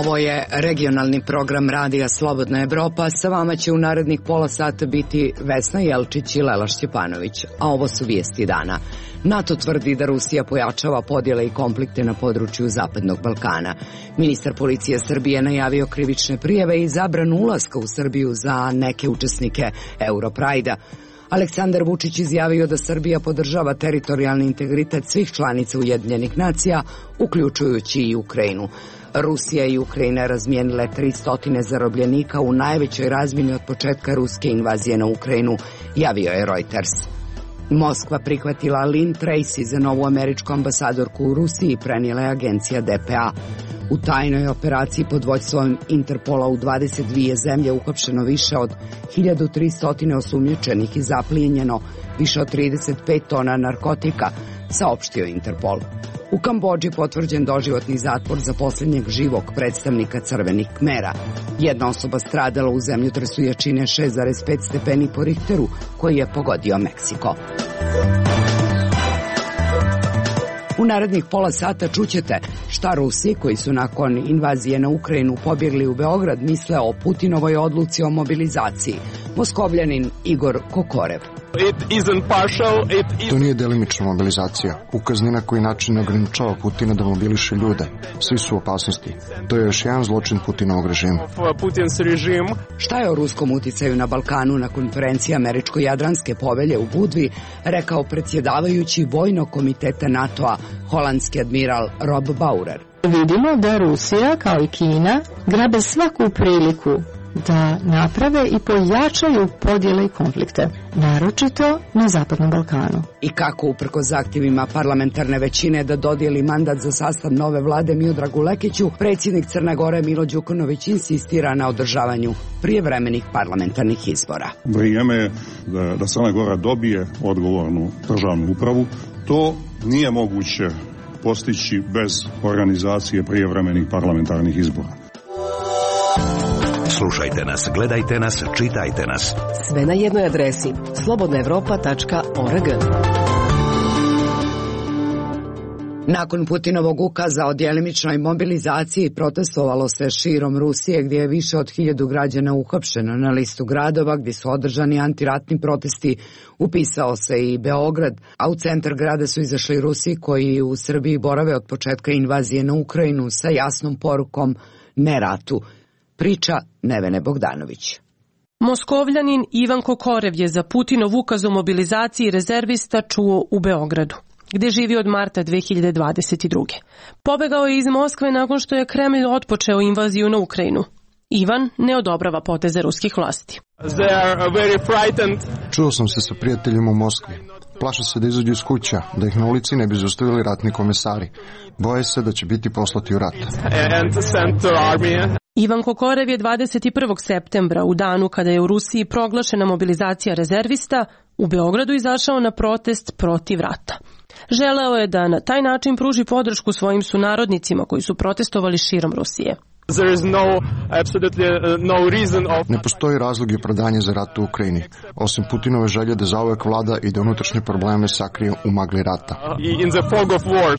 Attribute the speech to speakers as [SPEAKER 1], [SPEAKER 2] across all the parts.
[SPEAKER 1] Ovo je regionalni program Radija Slobodna Evropa. Sa vama će u narednih pola sata biti Vesna Jelčić i Lela Šćepanović. A ovo su vijesti dana. NATO tvrdi da Rusija pojačava podjele i konflikte na području Zapadnog Balkana. Ministar policije Srbije najavio krivične prijave i zabranu ulaska u Srbiju za neke učesnike Europrajda. Aleksandar Vučić izjavio da Srbija podržava teritorijalni integritet svih članica Ujedinjenih nacija, uključujući i Ukrajinu. Rusija i Ukrajina razmijenile 300 zarobljenika u najvećoj razmjeni od početka ruske invazije na Ukrajinu, javio je Reuters. Moskva prihvatila Lynn Tracy za novu američku ambasadorku u Rusiji, prenijela je agencija DPA. U tajnoj operaciji pod vođstvom Interpola u 22 zemlje uhapšeno više od 1300 osumnjičenih i zaplijenjeno više od 35 tona narkotika, saopštio Interpol. U Kambodži potvrđen doživotni zatvor za posljednjeg živog predstavnika Crvenih Kmera. Jedna osoba stradala u zemljotresu jačine 6,5 stepeni po Richteru, koji je pogodio Meksiko. U narednih pola sata čućete šta Rusi, koji su nakon invazije na Ukrajinu pobjegli u Beograd, misle o Putinovoj odluci o mobilizaciji. Moskovljanin Igor Kokorev.
[SPEAKER 2] To nije delimična mobilizacija. Ukaz ni na koji način ne ograničava Putina da mobiliše ljude. Svi su u opasnosti. To je još jedan zločin Putinovog režima.
[SPEAKER 1] Šta je o ruskom uticaju na Balkanu na konferenciji Američko-Jadranske povelje u Budvi rekao predsjedavajući Vojnog komiteta NATO-a, holandski admiral Rob Bauer.
[SPEAKER 3] Vidimo da Rusija, kao i Kina, grabe svaku priliku da naprave i pojačaju podjele i konflikte, naročito na Zapadnom Balkanu.
[SPEAKER 1] I kako uprkos zahtjevima parlamentarne većine da dodijeli mandat za sastav nove vlade Miodragu Lekiću, predsjednik Crne Gore Milo Đukanović insistira na održavanju prijevremenih parlamentarnih izbora.
[SPEAKER 4] Vrijeme je da Crna Gora dobije odgovornu državnu upravu. To nije moguće postići bez organizacije prijevremenih parlamentarnih izbora.
[SPEAKER 5] Slušajte nas, gledajte nas, čitajte nas.
[SPEAKER 6] Sve na jednoj adresi slobodnaevropa.org.
[SPEAKER 1] Nakon Putinovog ukaza o djelimičnoj mobilizaciji protestovalo se širom Rusije, gdje je više od 1000 građana uhapšeno. Na listu gradova gdje su održani antiratni protesti upisao se i Beograd, a u centar grada su izašli Rusi koji u Srbiji borave od početka invazije na Ukrajinu sa jasnom porukom ne ratu. Priča Nevene Bogdanović.
[SPEAKER 7] Moskovljanin Ivan Kokorev je za Putinov ukaz o mobilizaciji rezervista čuo u Beogradu, gdje živi od marta 2022. Pobegao je iz Moskve nakon što je Kremlj otpočeo invaziju na Ukrajinu. Ivan ne odobrava poteze ruskih vlasti.
[SPEAKER 2] Čuo sam se sa prijateljima u Moskvi. Plaše se da izađu iz kuća, da ih na ulici ne bi zaustavili ratni komesari. Boje se da će biti poslati u rat.
[SPEAKER 7] Ivan Kokorev je 21. septembra, u danu kada je u Rusiji proglašena mobilizacija rezervista, u Beogradu izašao na protest protiv rata. Želeo je da na taj način pruži podršku svojim sunarodnicima koji su protestovali širom Rusije.
[SPEAKER 2] Ne postoji razlog i opravdanje za rat u Ukrajini, osim Putinove želje da zauvek vlada i da unutrašnje probleme sakrije u magli rata.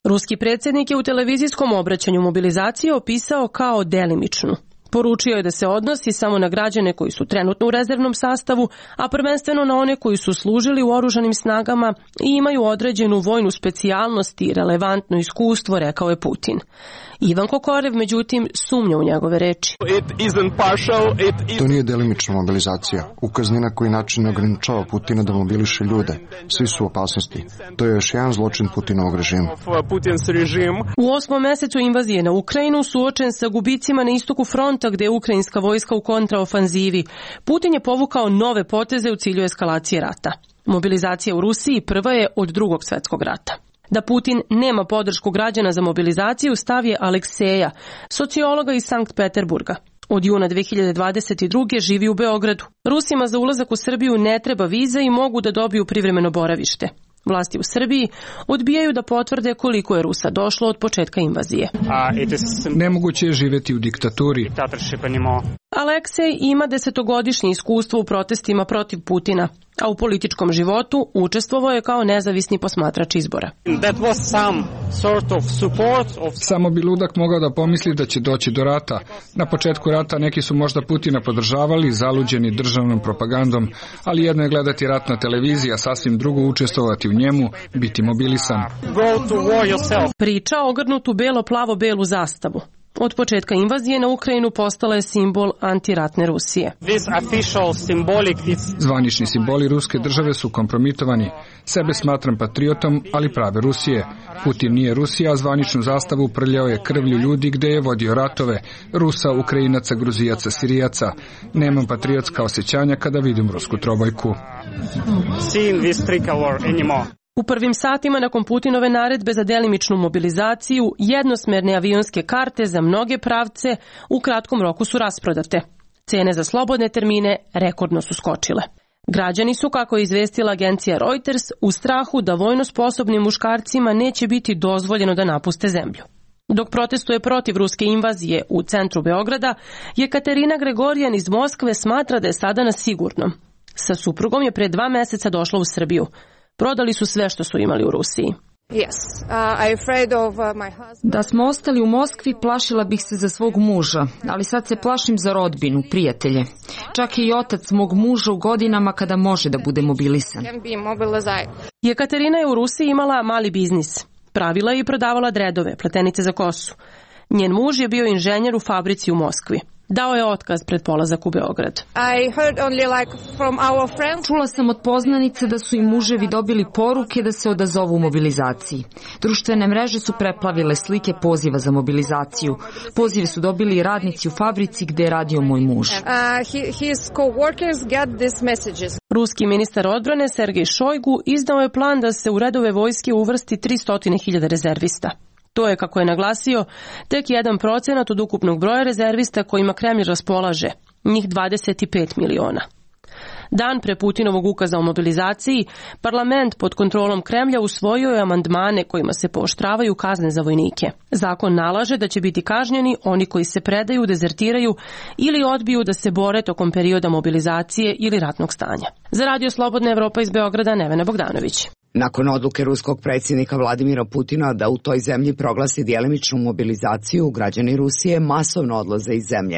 [SPEAKER 7] Ruski predsjednik je u televizijskom obraćanju mobilizaciju opisao kao delimičnu. Poručio je da se odnosi samo na građane koji su trenutno u rezervnom sastavu, a prvenstveno na one koji su služili u oružanim snagama i imaju određenu vojnu specijalnost i relevantno iskustvo, rekao je Putin. Ivan Kokorev, međutim, sumnja u njegove reči.
[SPEAKER 2] To nije delimična mobilizacija. Ukaz ni na koji način ne ograničava Putina da mobiliše ljude. Svi su u opasnosti. To je još jedan zločin Putinovog režima.
[SPEAKER 7] U 8. mjesecu invazije na Ukrajinu, suočen sa gubicima na istoku fronta gdje je ukrajinska vojska u kontraofanzivi, Putin je povukao nove poteze u cilju eskalacije rata. Mobilizacija u Rusiji prva je od Drugog svjetskog rata. Da Putin nema podršku građana za mobilizaciju stav je Alekseja, sociologa iz Sankt Peterburga. Od juna 2022. živi u Beogradu. Rusima za ulazak u Srbiju ne treba viza i mogu da dobiju privremeno boravište. Vlasti u Srbiji odbijaju da potvrde koliko je Rusa došlo od početka invazije.
[SPEAKER 8] Nemoguće je živjeti u diktaturi.
[SPEAKER 7] Aleksej ima 10-godišnje iskustvo u protestima protiv Putina, a u političkom životu učestvovao je kao nezavisni posmatrač izbora.
[SPEAKER 8] Samo bi ludak mogao da pomisli da će doći do rata. Na početku rata neki su možda Putina podržavali, zaluđeni državnom propagandom, ali jedno je gledati rat na televiziji, a sasvim drugo učestvovati u njemu, biti mobilisan.
[SPEAKER 7] Priča ogrnutu belo-plavo-belu zastavu. Od početka invazije na Ukrajinu postala je simbol antiratne Rusije.
[SPEAKER 8] Zvanični simboli ruske države su kompromitovani. Sebe smatram patriotom, ali prave Rusije. Putin nije Rusija, a zvaničnu zastavu prljao je krvlju ljudi gde je vodio ratove. Rusa, Ukrajinaca, Gruzijaca, Sirijaca. Nemam patriotska osjećanja kada vidim rusku trobojku.
[SPEAKER 7] U prvim satima nakon Putinove naredbe za delimičnu mobilizaciju, jednosmerne avionske karte za mnoge pravce u kratkom roku su rasprodate. Cene za slobodne termine rekordno su skočile. Građani su, kako je izvestila agencija Reuters, u strahu da vojno sposobnim muškarcima neće biti dozvoljeno da napuste zemlju. Dok protestuje protiv ruske invazije u centru Beograda, Jekaterina Gregorijan iz Moskve smatra da je sada na sigurnom. Sa suprugom je pre 2 meseca došla u Srbiju. Prodali su sve što su imali u Rusiji.
[SPEAKER 9] Da smo ostali u Moskvi, plašila bih se za svog muža, ali sad se plašim za rodbinu, prijatelje. Čak i otac mog muža u godinama kada može da bude mobilisan.
[SPEAKER 7] Jekaterina je u Rusiji imala mali biznis. Pravila je i prodavala dredove, pletenice za kosu. Njen muž je bio inženjer u fabrici u Moskvi. Dao je otkaz pred polazak u Beograd.
[SPEAKER 9] Čula sam od poznanice da su im muževi dobili poruke da se odazovu u mobilizaciji. Društvene mreže su preplavile slike poziva za mobilizaciju. Pozive su dobili i radnici u fabrici gde je radio moj muž.
[SPEAKER 7] Ruski ministar odbrane Sergej Šojgu izdao je plan da se u redove vojske uvrsti 300.000 rezervista. To je, kako je naglasio, tek 1% od ukupnog broja rezervista kojima Kremlj raspolaže, njih 25 miliona. Dan pre Putinovog ukaza o mobilizaciji, parlament pod kontrolom Kremlja usvojio je amandmane kojima se pooštravaju kazne za vojnike. Zakon nalaže da će biti kažnjeni oni koji se predaju, dezertiraju ili odbiju da se bore tokom perioda mobilizacije ili ratnog stanja. Za Radio Slobodna Evropa iz Beograda, Nevena Bogdanović.
[SPEAKER 1] Nakon odluke ruskog predsjednika Vladimira Putina da u toj zemlji proglasi djelimičnu mobilizaciju, građani Rusije masovno odlaze iz zemlje.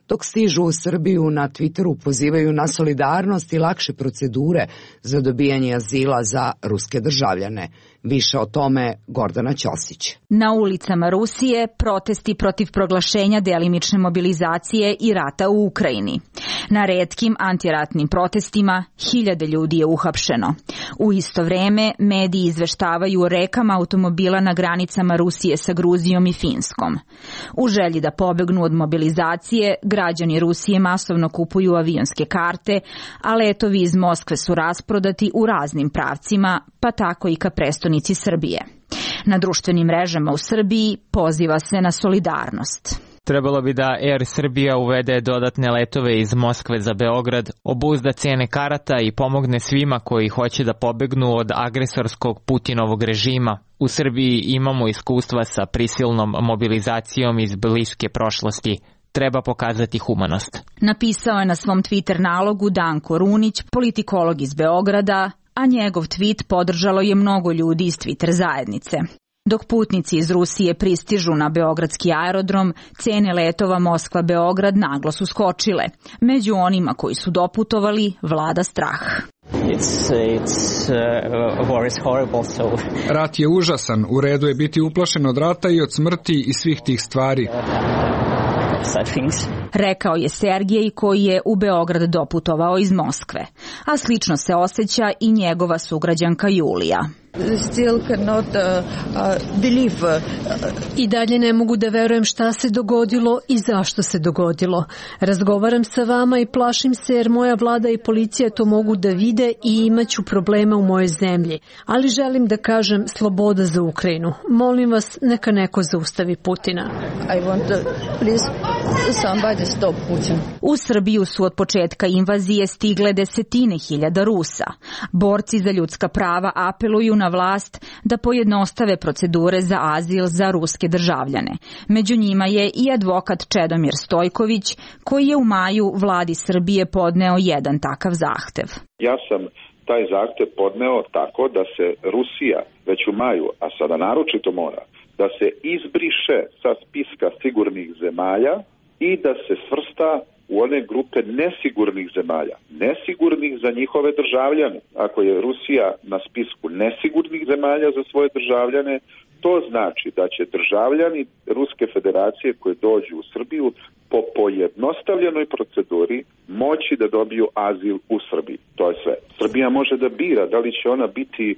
[SPEAKER 1] Dok stižu u Srbiju, na Twitteru pozivaju na solidarnost i lakše procedure za dobijanje azila za ruske državljane. Više o tome Gordana Ćosić.
[SPEAKER 10] Na ulicama Rusije protesti protiv proglašenja delimične mobilizacije i rata u Ukrajini. Na retkim antiratnim protestima 1000 ljudi je uhapšeno. U isto vreme mediji izveštavaju o rekama automobila na granicama Rusije sa Gruzijom i Finskom. U želji da pobegnu od mobilizacije, građani Rusije masovno kupuju avionske karte, a letovi iz Moskve su rasprodati u raznim pravcima, pa tako i ka prestonici Srbije. Na društvenim mrežama u Srbiji poziva se na solidarnost.
[SPEAKER 11] Trebalo bi da Air Srbija uvede dodatne letove iz Moskve za Beograd, obuzda cene karata i pomogne svima koji hoće da pobegnu od agresorskog Putinovog režima. U Srbiji imamo iskustva sa prisilnom mobilizacijom iz bliske prošlosti. Treba pokazati humanost.
[SPEAKER 10] Napisao je na svom Twitter nalogu Danko Runić, politikolog iz Beograda, a njegov tweet podržalo je mnogo ljudi iz Twitter zajednice. Dok putnici iz Rusije pristižu na beogradski aerodrom, cene letova Moskva-Beograd naglo su skočile. Među onima koji su doputovali vlada strah.
[SPEAKER 8] Rat je užasan, u redu je biti uplašen od rata i od smrti i svih tih stvari.
[SPEAKER 10] Rekao je Sergej koji je u Beograd doputovao iz Moskve, a slično se osjeća i njegova sugrađanka Julija.
[SPEAKER 12] I dalje ne mogu da verujem šta se dogodilo i zašto se dogodilo. Razgovaram sa vama i plašim se jer moja vlada i policija to mogu da vide i imaću problema u mojoj zemlji. Ali želim da kažem sloboda za Ukrajinu. Molim vas, neka neko zaustavi Putina.
[SPEAKER 10] U Srbiju su od početka invazije stigle 10.000 Rusa. Borci za ljudska prava apeluju na vlast da pojednostave procedure za azil za ruske državljane. Među njima je i advokat Čedomir Stojković, koji je u maju vladi Srbije podneo jedan takav zahtev.
[SPEAKER 13] Ja sam taj zahtev podneo tako da se Rusija već u maju, a sada naročito mora, da se izbriše sa spiska sigurnih zemalja i da se svrsta u one grupe nesigurnih zemalja. Nesigurnih za njihove državljane. Ako je Rusija na spisku nesigurnih zemalja za svoje državljane, to znači da će državljani Ruske federacije koji dođu u Srbiju po pojednostavljenoj proceduri moći da dobiju azil u Srbiji. To je sve. Srbija može da bira da li će ona biti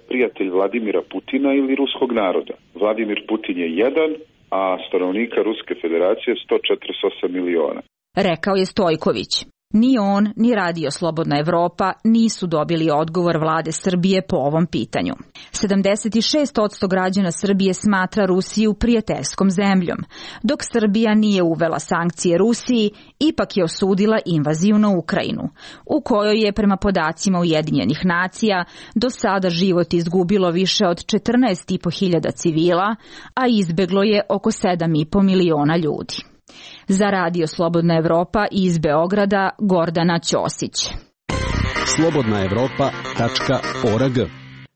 [SPEAKER 13] prijatelj Vladimira Putina ili ruskog naroda. Vladimir Putin je jedan, a stanovnika Ruske federacije 148 miliona.
[SPEAKER 10] Rekao je Stojković. Ni on, ni Radio Slobodna Evropa nisu dobili odgovor vlade Srbije po ovom pitanju. 76% građana Srbije smatra Rusiju prijateljskom zemljom, dok Srbija nije uvela sankcije Rusiji, ipak je osudila invaziju na Ukrajinu, u kojoj je prema podacima Ujedinjenih nacija do sada život izgubilo više od 14.500 civila, a izbeglo je oko 7,5 miliona ljudi. Za Radio Slobodna Evropa iz Beograda Gordana Ćosić.
[SPEAKER 14] slobodnaevropa.org.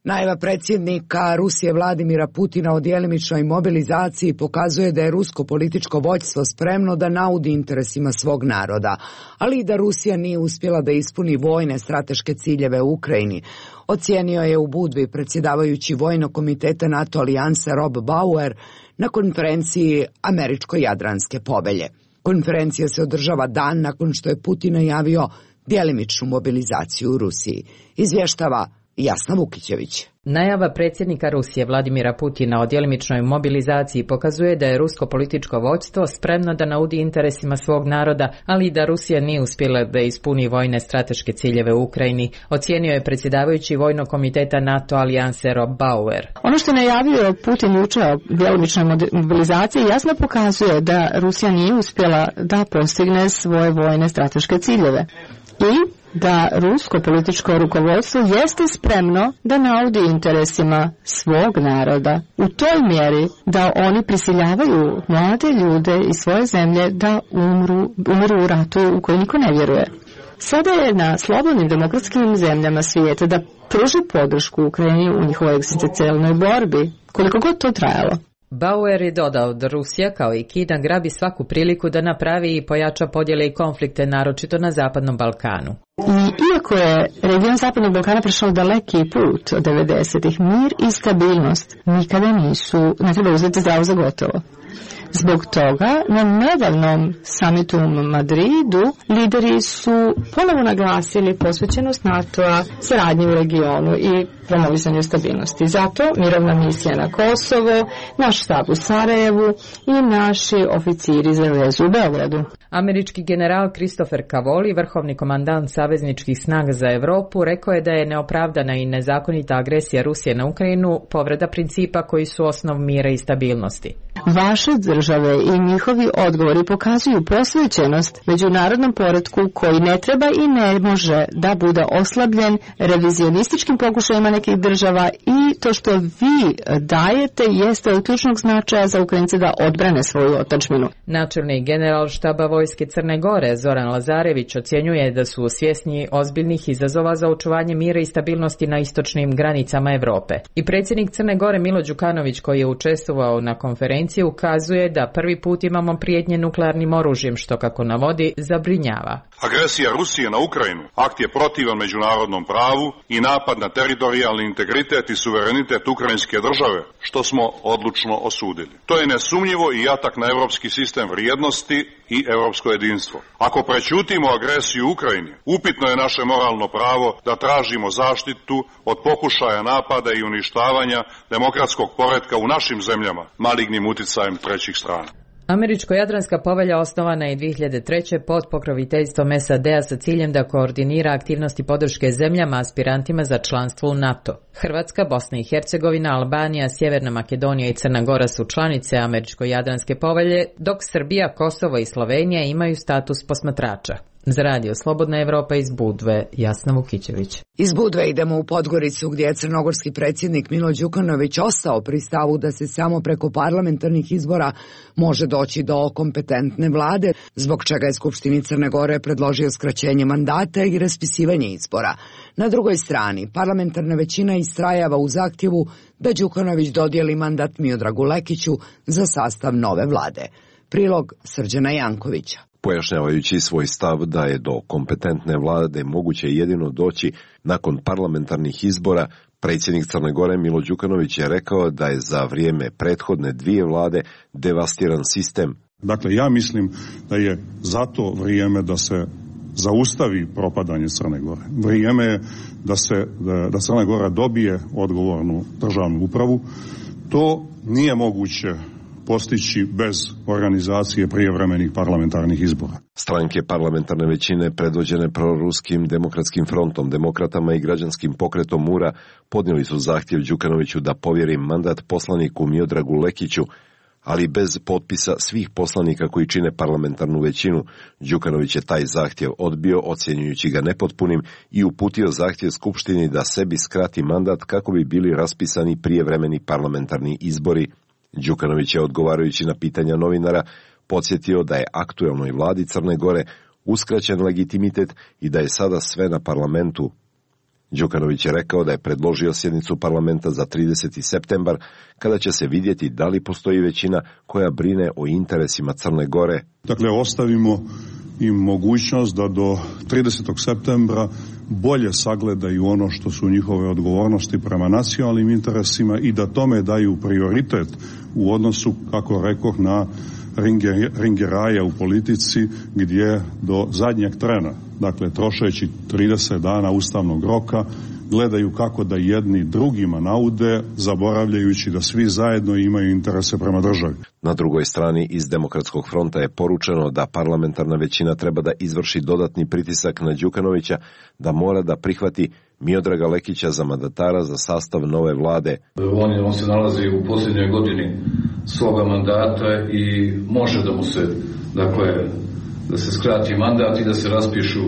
[SPEAKER 1] Najava predsjednika Rusije Vladimira Putina o djelimičnoj mobilizaciji pokazuje da je rusko političko vođstvo spremno da naudi interesima svog naroda, ali i da Rusija nije uspjela da ispuni vojne strateške ciljeve u Ukrajini. Ocijenio je u Budvi predsjedavajući Vojnog komiteta NATO alijanse Rob Bauer na konferenciji Američko-Jadranske povelje. Konferencija se održava dan nakon što je Putin najavio djelimičnu mobilizaciju u Rusiji. Izvještava Jasna Vukićević.
[SPEAKER 15] Najava predsjednika Rusije Vladimira Putina o djelimičnoj mobilizaciji pokazuje da je rusko političko vođstvo spremno da naudi interesima svog naroda, ali i da Rusija nije uspjela da ispuni vojne strateške ciljeve u Ukrajini, ocijenio je predsjedavajući Vojnog komiteta NATO alijanse Rob Bauer.
[SPEAKER 3] Ono što je najavio Putin juče o djelimičnoj mobilizaciji jasno pokazuje da Rusija nije uspjela da postigne svoje vojne strateške ciljeve i da rusko političko rukovodstvo jeste spremno da naudi interesima svog naroda u toj mjeri da oni prisiljavaju mlade ljude iz svoje zemlje da umiru u ratu u koji niko ne vjeruje. Sada je na slobodnim demokratskim zemljama svijeta da pruži podršku Ukrajini u njihovoj egzistencijalnoj borbi, koliko god to trajalo.
[SPEAKER 15] Bauer je dodao da Rusija, kao i Kina, grabi svaku priliku da napravi i pojača podjele i konflikte, naročito na Zapadnom Balkanu.
[SPEAKER 3] I iako je region Zapadnog Balkana prešao daleki put od 90-ih, mir i stabilnost nikada ne treba uzeti zdravo za gotovo. Zbog toga na nedavnom samitu u Madridu lideri su ponovo naglasili posvećenost NATO-a saradnji u regionu i promovisanju stabilnosti. Zato mirovna misija na Kosovo, naš štab u Sarajevu i naši oficiri za vezu u Beogradu.
[SPEAKER 15] Američki general Christopher Cavoli, vrhovni komandant savezničkih snaga za Europu, rekao je da je neopravdana i nezakonita agresija Rusije na Ukrajinu povreda principa koji su osnov mira i stabilnosti.
[SPEAKER 3] Vaše države i njihovi odgovori pokazuju posvećenost međunarodnom poretku koji ne treba i ne može da bude oslabljen revizionističkim pokušajima nekih država, i to što vi dajete jeste od ključnog značaja za Ukrajince da odbrane svoju otadžbinu.
[SPEAKER 15] Načelnik general štaba vojske Crne Gore Zoran Lazarević ocjenjuje da su svjesni ozbiljnih izazova za očuvanje mira i stabilnosti na istočnim granicama Europe. I predsjednik Crne Gore Milo Đukanović, koji je učestvovao na konferenciji, ukazuje da prvi put imamo prijetnje nuklearnim oružjem, što, kako navodi, zabrinjava.
[SPEAKER 4] Agresija Rusije na Ukrajinu akt je protivan međunarodnom pravu i napad na teritorijalni integritet i suverenitet ukrajinske države, što smo odlučno osudili. To je nesumnjivo i atak na europski sistem vrijednosti i europsko jedinstvo. Ako prećutimo agresiju u Ukrajini, upitno je naše moralno pravo da tražimo zaštitu od pokušaja napada i uništavanja demokratskog poretka u našim zemljama malignim uticajem trećih strana.
[SPEAKER 15] Američko-Jadranska povelja osnovana je 2003. pod pokroviteljstvom SAD-a sa ciljem da koordinira aktivnosti podrške zemljama aspirantima za članstvo u NATO. Hrvatska, Bosna i Hercegovina, Albanija, Sjeverna Makedonija i Crna Gora su članice Američko-Jadranske povelje, dok Srbija, Kosovo i Slovenija imaju status posmatrača. Za radio Slobodna Evropa iz Budve, Jasna Vukićević.
[SPEAKER 1] Iz Budve idemo u Podgoricu gdje je crnogorski predsjednik Milo Đukanović ostao pri stavu da se samo preko parlamentarnih izbora može doći do kompetentne vlade, zbog čega je Skupštini Crne Gore predložio skraćenje mandata i raspisivanje izbora. Na drugoj strani, parlamentarna većina istrajava u zahtjevu da Đukanović dodijeli mandat Miodragu Lekiću za sastav nove vlade. Prilog Srđana Jankovića.
[SPEAKER 16] Pojašnjavajući svoj stav da je do kompetentne vlade moguće jedino doći nakon parlamentarnih izbora, predsjednik Crne Gore Milo Đukanović je rekao da je za vrijeme prethodne dvije vlade devastiran sistem.
[SPEAKER 17] Dakle, ja mislim da je zato vrijeme da se zaustavi propadanje Crne Gore. Vrijeme je da Crna Gora dobije odgovornu državnu upravu. To nije moguće postići bez organizacije prijevremenih parlamentarnih izbora.
[SPEAKER 16] Stranke parlamentarne većine predvođene proruskim demokratskim frontom, demokratama i građanskim pokretom Mura podnijeli su zahtjev Đukanoviću da povjeri mandat poslaniku Miodragu Lekiću, ali bez potpisa svih poslanika koji čine parlamentarnu većinu. Đukanović je taj zahtjev odbio, ocjenjujući ga nepotpunim, i uputio zahtjev Skupštini da sebi skrati mandat kako bi bili raspisani prijevremeni parlamentarni izbori. Đukanović je, odgovarajući na pitanja novinara, podsjetio da je aktuelnoj vladi Crne Gore uskraćen legitimitet i da je sada sve na parlamentu. Đukanović je rekao da je predložio sjednicu parlamenta za 30. septembar, kada će se vidjeti da li postoji većina koja brine o interesima Crne Gore.
[SPEAKER 17] Dakle, ostavimo im mogućnost da do 30. septembra bolje sagledaju ono što su njihove odgovornosti prema nacionalnim interesima i da tome daju prioritet u odnosu, kako rekoh, na ringeraja u politici, gdje do zadnjeg trena, dakle trošeći 30 dana ustavnog roka, gledaju kako da jedni drugima naude, zaboravljajući da svi zajedno imaju interese prema državi.
[SPEAKER 16] Na drugoj strani iz Demokratskog fronta je poručeno da parlamentarna većina treba da izvrši dodatni pritisak na Đukanovića, da mora da prihvati Miodraga Lekića za mandatara za sastav nove vlade.
[SPEAKER 18] On se nalazi u posljednjoj godini svoga mandata i može da mu se, dakle, da se skrati mandat i da se raspišu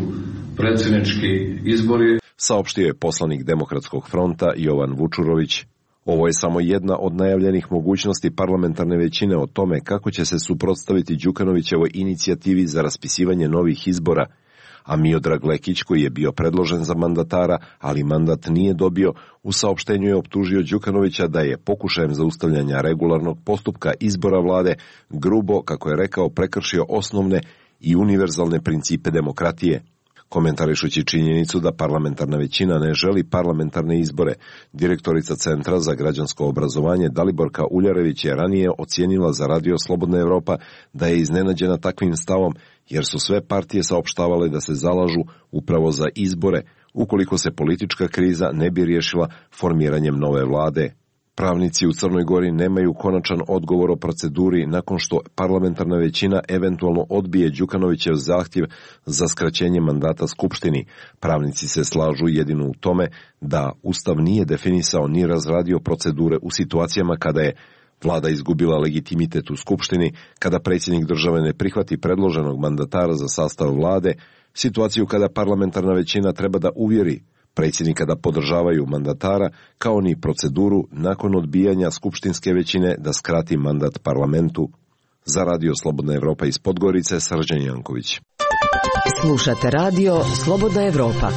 [SPEAKER 18] predsjednički izbori.
[SPEAKER 16] Saopštio je poslanik Demokratskog fronta Jovan Vučurović. Ovo je samo jedna od najavljenih mogućnosti parlamentarne većine o tome kako će se suprotstaviti Đukanovićevoj inicijativi za raspisivanje novih izbora, a Miodrag Lekić, koji je bio predložen za mandatara, ali mandat nije dobio, u saopštenju je optužio Đukanovića da je pokušajem zaustavljanja regularnog postupka izbora vlade grubo, kako je rekao, prekršio osnovne i univerzalne principe demokratije. Komentarišući činjenicu da parlamentarna većina ne želi parlamentarne izbore, direktorica Centra za građansko obrazovanje Daliborka Uljarević je ranije ocijenila za radio Slobodna Evropa da je iznenađena takvim stavom, jer su sve partije saopštavale da se zalažu upravo za izbore, ukoliko se politička kriza ne bi riješila formiranjem nove vlade. Pravnici u Crnoj Gori nemaju konačan odgovor o proceduri nakon što parlamentarna većina eventualno odbije Đukanovićev zahtjev za skraćenje mandata Skupštini. Pravnici se slažu jedino u tome da Ustav nije definisao ni razradio procedure u situacijama kada je vlada izgubila legitimitet u Skupštini, kada predsjednik države ne prihvati predloženog mandatara za sastav vlade, situaciju kada parlamentarna većina treba da uvjeri predsjednika da podržavaju mandatara, kao ni proceduru nakon odbijanja skupštinske većine da skrati mandat parlamentu. Za radio Slobodna Evropa iz Podgorice, Srđan Janković.
[SPEAKER 6] Slušate radio Slobodna Evropa.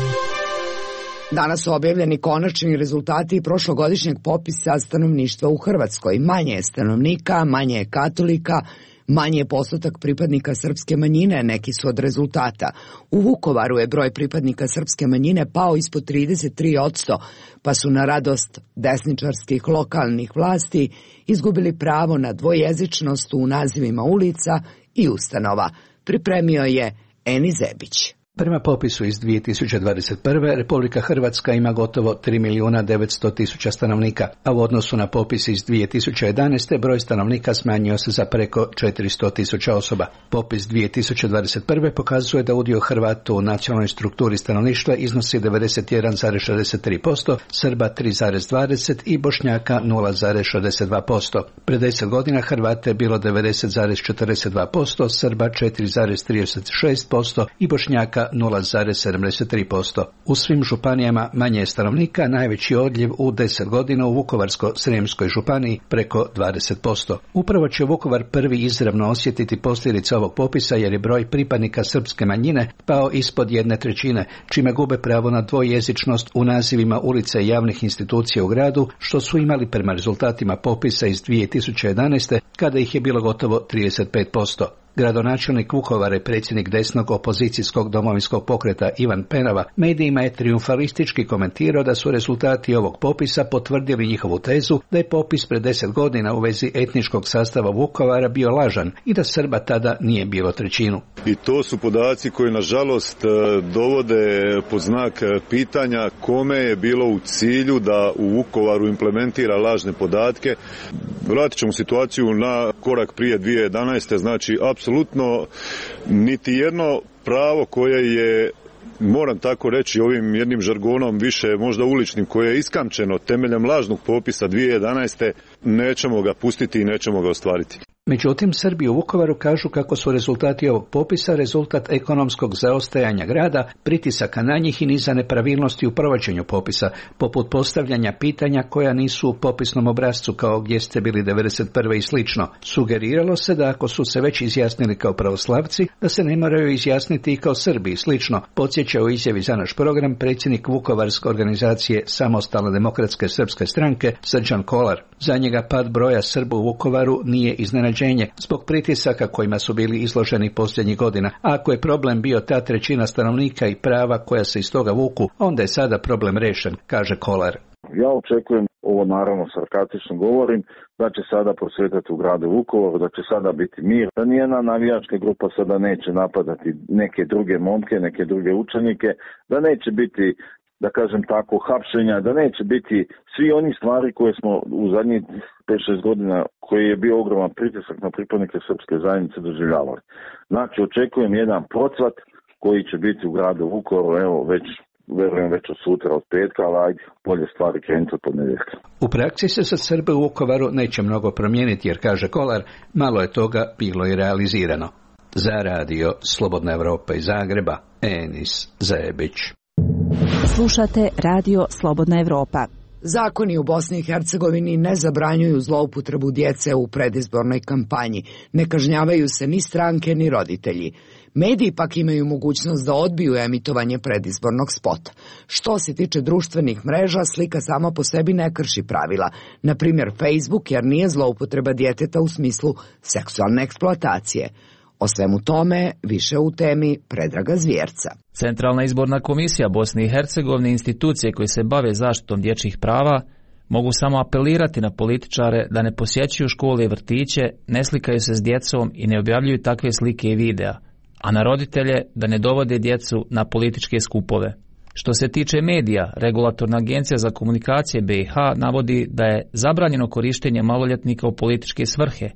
[SPEAKER 1] Danas su objavljeni konačni rezultati prošlogodišnjeg popisa stanovništva u Hrvatskoj. Manje je stanovnika, manje je katolika, manje je postotak pripadnika srpske manjine, neki su od rezultata. U Vukovaru je broj pripadnika srpske manjine pao ispod 33%, pa su na radost desničarskih lokalnih vlasti izgubili pravo na dvojezičnost u nazivima ulica i ustanova. Pripremio je Eni Zebić.
[SPEAKER 19] Prema popisu iz 2021. Republika Hrvatska ima gotovo 3.900.000 stanovnika, a u odnosu na popis iz 2011. broj stanovnika smanjio se za preko 400.000 osoba. Popis 2021. pokazuje da udio Hrvata u nacionalnoj strukturi stanovništva iznosi 91,63%, Srba 3,20% i Bošnjaka 0,62%. Pred 10 godina Hrvata je bilo 90,42%, Srba 4,36% i Bošnjaka 0,73%. U svim županijama manje stanovnika, najveći odljev u 10 godina u Vukovarsko-srijemskoj županiji preko 20%. Upravo će Vukovar prvi izravno osjetiti posljedice ovog popisa jer je broj pripadnika srpske manjine pao ispod 1/3, čime gube pravo na dvojezičnost u nazivima ulica i javnih institucija u gradu, što su imali prema rezultatima popisa iz 2011. kada ih je bilo gotovo 35%. Gradonačelnik Vukovara i predsjednik desnog opozicijskog domovinskog pokreta Ivan Penava medijima je trijumfalistički komentirao da su rezultati ovog popisa potvrdili njihovu tezu da je popis pred 10 godina u vezi etničkog sastava Vukovara bio lažan i da Srba tada nije bilo 1/3.
[SPEAKER 20] I to su podaci koji nažalost dovode pod znak pitanja kome je bilo u cilju da u Vukovaru implementira lažne podatke. Vratit ćemo situaciju na korak prije 2011. Znači, apsolutno niti jedno pravo koje je, moram tako reći ovim jednim žargonom više možda uličnim, koje je iskamčeno temeljem lažnog popisa 2011. nećemo ga pustiti i nećemo ga ostvariti.
[SPEAKER 19] Međutim, Srbi u Vukovaru kažu kako su rezultati ovog popisa rezultat ekonomskog zaostajanja grada, pritisaka na njih i niza nepravilnosti u provođenju popisa, poput postavljanja pitanja koja nisu u popisnom obrascu kao gdje ste bili 1991. i slično. Sugeriralo se da ako su se već izjasnili kao pravoslavci, da se ne moraju izjasniti i kao Srbi i slično, podsjeća u izjavi za naš program predsjednik Vukovarske organizacije Samostalne demokratske srpske stranke Srđan Kolar. Za njega pad broja Srba u Vukovaru nije iznenađenje zbog pritisaka kojima su bili izloženi posljednjih godina. A ako je problem bio ta 1/3 stanovnika i prava koja se iz toga vuku, onda je sada problem rešen, kaže Kolar.
[SPEAKER 21] Ja očekujem, ovo naravno sarkastično govorim, da će sada prosvjetati u gradu Vukovaru, da će sada biti mir, da nijedna navijačka grupa sada neće napadati neke druge momke, neke druge učenike, da neće biti, da kažem tako, hapšenja, da neće biti svi oni stvari koje smo u zadnjih 5-6 godina, koji je bio ogroman pritisak na pripadnike srpske zajednice, doživljavali. Znači, očekujem jedan procvat koji će biti u gradu Vukovaru, evo verujem već od sutra, od petka, ali ajde, bolje stvari krenuti od ponedjeljka.
[SPEAKER 19] U praksi se za Srbe u Vukovaru neće mnogo promijeniti, jer, kaže Kolar, malo je toga bilo i realizirano. Za radio Slobodna Evropa iz Zagreba, Enis Zajebić.
[SPEAKER 10] Slušate radio Slobodna Evropa.
[SPEAKER 1] Zakoni u Bosni i Hercegovini ne zabranjuju zloupotrebu djece u predizbornoj kampanji. Ne kažnjavaju se ni stranke ni roditelji. Mediji pak imaju mogućnost da odbiju emitovanje predizbornog spota. Što se tiče društvenih mreža, slika sama po sebi ne krši pravila. Na primjer Facebook, jer nije zloupotreba djeteta u smislu seksualne eksploatacije. O svemu tome više u temi Predraga Zvjerca.
[SPEAKER 22] Centralna izborna komisija Bosne i Hercegovine i institucije koje se bave zaštitom dječjih prava mogu samo apelirati na političare da ne posjećuju škole i vrtiće, ne slikaju se s djecom i ne objavljuju takve slike i videa, a na roditelje da ne dovode djecu na političke skupove. Što se tiče medija, Regulatorna agencija za komunikacije BiH navodi da je zabranjeno korištenje maloljetnika u političke svrhe,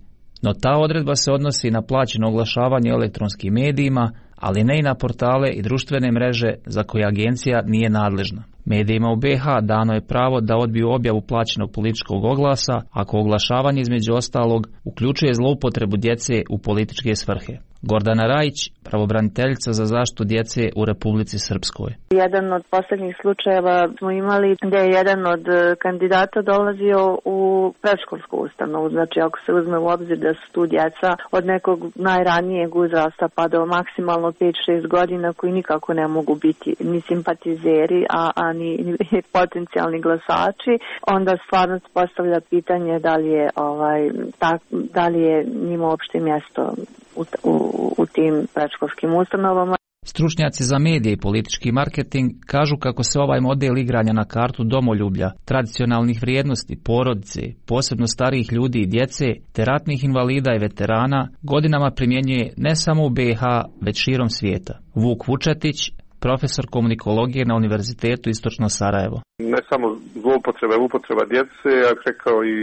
[SPEAKER 22] no ta odredba se odnosi na plaćeno oglašavanje elektronskim medijima, ali ne i na portale i društvene mreže za koje agencija nije nadležna. Medijima u BiH dano je pravo da odbiju objavu plaćenog političkog oglasa ako oglašavanje između ostalog uključuje zloupotrebu djece u političke svrhe. Gordana Rajić, pravobraniteljica za zaštitu djece u Republici Srpskoj.
[SPEAKER 23] Jedan od posljednjih slučajeva smo imali gdje je jedan od kandidata dolazio u predškolsku ustanovu. Znači, ako se uzme u obzir da su tu djeca od nekog najranijeg uzrasta pa do maksimalno 5-6 godina koji nikako ne mogu biti ni simpatizeri, a ni potencijalni glasači, onda stvarno se postavlja pitanje da li je njima uopšte mjesto u tim predškolskim ustanovama.
[SPEAKER 22] Stručnjaci za medije i politički marketing kažu kako se ovaj model igranja na kartu domoljublja, tradicionalnih vrijednosti, porodice, posebno starijih ljudi i djece, te ratnih invalida i veterana godinama primjenjuje ne samo u BiH, već širom svijeta. Vuk Vučetić, profesor komunikologije na Univerzitetu Istočno Sarajevo.
[SPEAKER 2] Ne samo upotreba djece, ja bih rekao i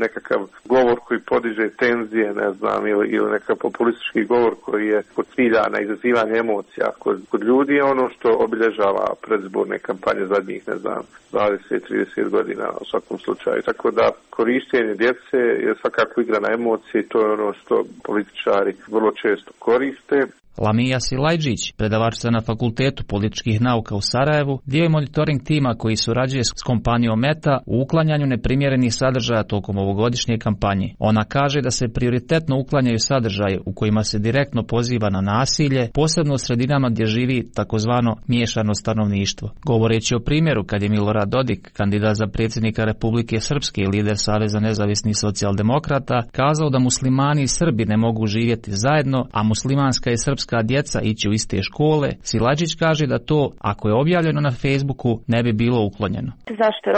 [SPEAKER 2] nekakav govor koji podiže tenzije, ne znam, ili nekakav populistički govor koji je kod cilja na izazivanje emocija. Kod ljudi je ono što obilježava predizborne kampanje zadnjih, ne znam, 20-30 godina u svakom slučaju. Tako da korištenje djece je svakako igra na emocije i to je ono što političari vrlo često koriste.
[SPEAKER 22] Lamija Silajđić, predavačica na Fakultetu političkih nauka u Sarajevu, dio je monitoring tima koji surađuje s kompanijom Meta u uklanjanju neprimjerenih sadržaja tokom ovogodišnje kampanje. Ona kaže da se prioritetno uklanjaju sadržaje u kojima se direktno poziva na nasilje, posebno u sredinama gdje živi takozvano miješano stanovništvo. Govoreći o primjeru kad je Milorad Dodik, kandidat za predsjednika Republike Srpske i lider Saveza nezavisnih socijaldemokrata, kazao da muslimani i Srbi ne mogu živjeti zajedno, a muslimanska i srpska djeca ići u iste škole, Silajđić kaže da to, ako je objavljeno na Facebooku, ne bi bilo uklonjeno.
[SPEAKER 23] Zašto?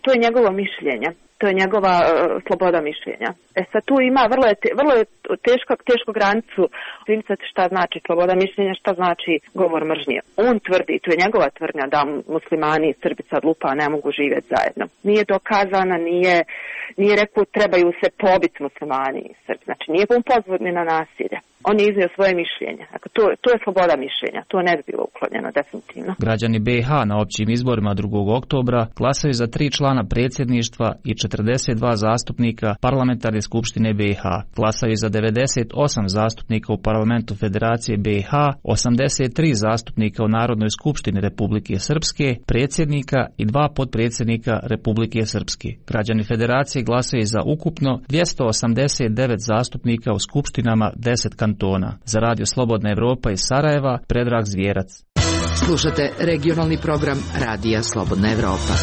[SPEAKER 23] To je njegovo mišljenje. To je njegova sloboda mišljenja. Sad tu ima vrlo je tešku granicu primicati šta znači sloboda mišljenja, šta znači govor mržnje. On tvrdi, to je njegova tvrdnja da muslimani i Srbi sad lupa ne mogu živjeti zajedno. Nije dokazana, nije rekao trebaju se pobiti muslimani i Srbi. Znači nije on pozvod ni na nasilje. On je iznio svoje mišljenje. Dakle, to je sloboda mišljenja. To ne bi bilo uklonjeno, definitivno.
[SPEAKER 22] Građani BiH na općim izborima 2. oktobra glasaju za 3 člana predsjedništva i 42 zastupnika parlamentarne skupštine BiH. Glasaju za 98 zastupnika u parlamentu Federacije BiH, 83 zastupnika u Narodnoj skupštini Republike Srpske, predsjednika i 2 potpredsjednika Republike Srpske. Građani Federacije glasaju za ukupno 289 zastupnika u skupštinama 10 kantona. Za Radio Slobodna Evropa iz Sarajeva, Predrag Zvjerac.
[SPEAKER 6] Slušate regionalni program Radija Slobodna Evropa.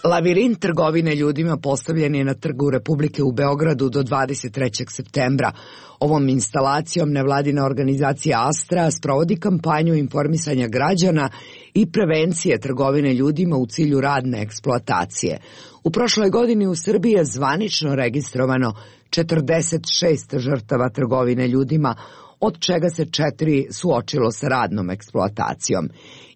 [SPEAKER 1] Lavirint trgovine ljudima postavljen je na Trgu Republike u Beogradu do 23. septembra. Ovom instalacijom nevladina organizacija Astra sprovodi kampanju informisanja građana i prevencije trgovine ljudima u cilju radne eksploatacije. U prošloj godini u Srbiji je zvanično registrovano 46 žrtava trgovine ljudima, od čega se 4 suočilo sa radnom eksploatacijom.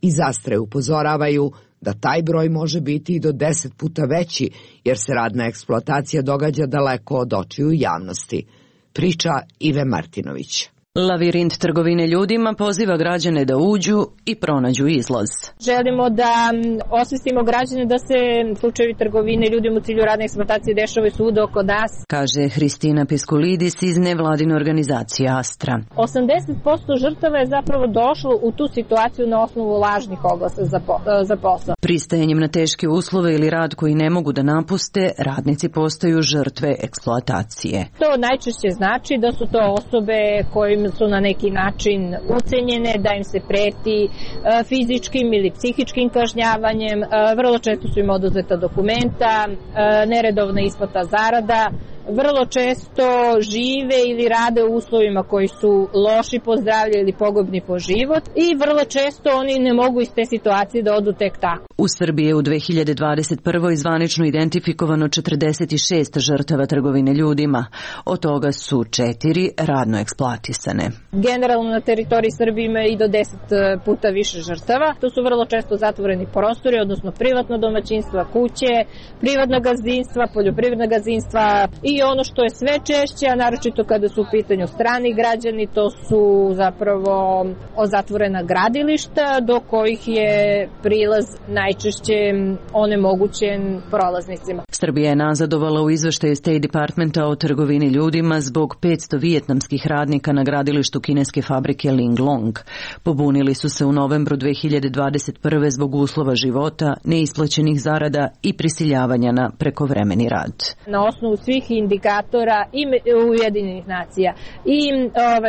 [SPEAKER 1] Iz Astre upozoravaju da taj broj može biti i do 10 puta veći, jer se radna eksploatacija događa daleko od očiju javnosti. Priča Ive Martinović.
[SPEAKER 5] Lavirint trgovine ljudima poziva građane da uđu i pronađu izlaz.
[SPEAKER 9] Želimo da osvestimo građane da se slučajevi trgovine ljudima u cilju radne eksploatacije dešavaju svuda oko nas, kaže
[SPEAKER 5] Hristina Piskulidis iz nevladine organizacije Astra.
[SPEAKER 9] 80% žrtava je zapravo došlo u tu situaciju na osnovu lažnih oglasa za posao.
[SPEAKER 5] Pristajanjem na teške uslove ili rad koji ne mogu da napuste, radnici postaju žrtve eksploatacije.
[SPEAKER 9] To najčešće znači da su to osobe kojim su na neki način ucenjene, da im se preti fizičkim ili psihičkim kažnjavanjem, vrlo često su im oduzeta dokumenta, neredovna isplata zarada, vrlo često žive ili rade u uslovima koji su loši po zdravlje ili pogubni po život i vrlo često oni ne mogu iz te situacije da odu tek tako.
[SPEAKER 5] U Srbiji je u 2021. zvanično identifikovano 46 žrtava trgovine ljudima, od toga su 4 radno eksploatisane.
[SPEAKER 9] Generalno na teritoriji Srbije ima i do 10 puta više žrtava. To su vrlo često zatvoreni prostori, odnosno privatno domaćinstva, kuće, privatna gazdinstva, poljoprivredna gazdinstva i ono što je sve češće, a naročito kada su u pitanju strani građani, to su zapravo zatvorena gradilišta do kojih je prilaz najčešće onemogućen prolaznicima.
[SPEAKER 5] Srbija je nazadovala u izveštaju State Departmenta o trgovini ljudima zbog 500 vijetnamskih radnika na gradilištu kineske fabrike Linglong. Pobunili su se u novembru 2021. zbog uslova života, neisplaćenih zarada i prisiljavanja na prekovremeni rad.
[SPEAKER 9] Na osnovu svih indikatora i Ujedinjenih nacija i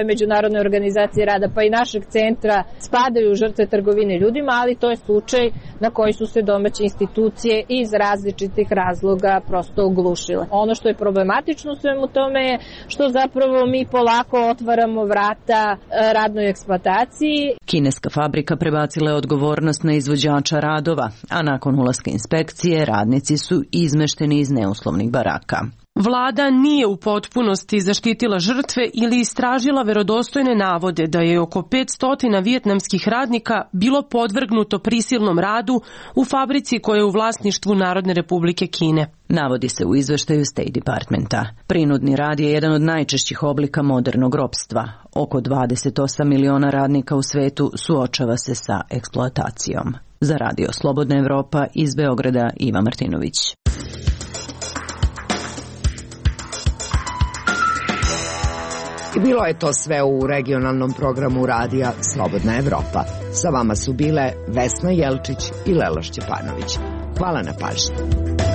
[SPEAKER 9] Međunarodne organizacije rada, pa i našeg centra spadaju u žrtve trgovine ljudima, ali to je slučaj na koji su se domaće institucije iz različitih razloga prosto oglušile. Ono što je problematično u svemu tome je što zapravo mi polako otvaramo vrata radnoj eksploataciji.
[SPEAKER 5] Kineska fabrika prebacila je odgovornost na izvođača radova, a nakon ulaska inspekcije radnici su izmešteni iz neuslovnih baraka.
[SPEAKER 7] Vlada nije u potpunosti zaštitila žrtve ili istražila verodostojne navode da je oko 500 vijetnamskih radnika bilo podvrgnuto prisilnom radu u fabrici koja je u vlasništvu Narodne Republike Kine.
[SPEAKER 5] Navodi se u izveštaju State Departmenta. Prinudni rad je jedan od najčešćih oblika modernog ropstva. Oko 28 miliona radnika u svetu suočava se sa eksploatacijom. Za Radio Slobodna Evropa iz Beograda Iva Martinović.
[SPEAKER 1] I bilo je to sve u regionalnom programu radija Slobodna Evropa. Sa vama su bile Vesna Jelčić i Lela Šćepanović. Hvala na pažnji.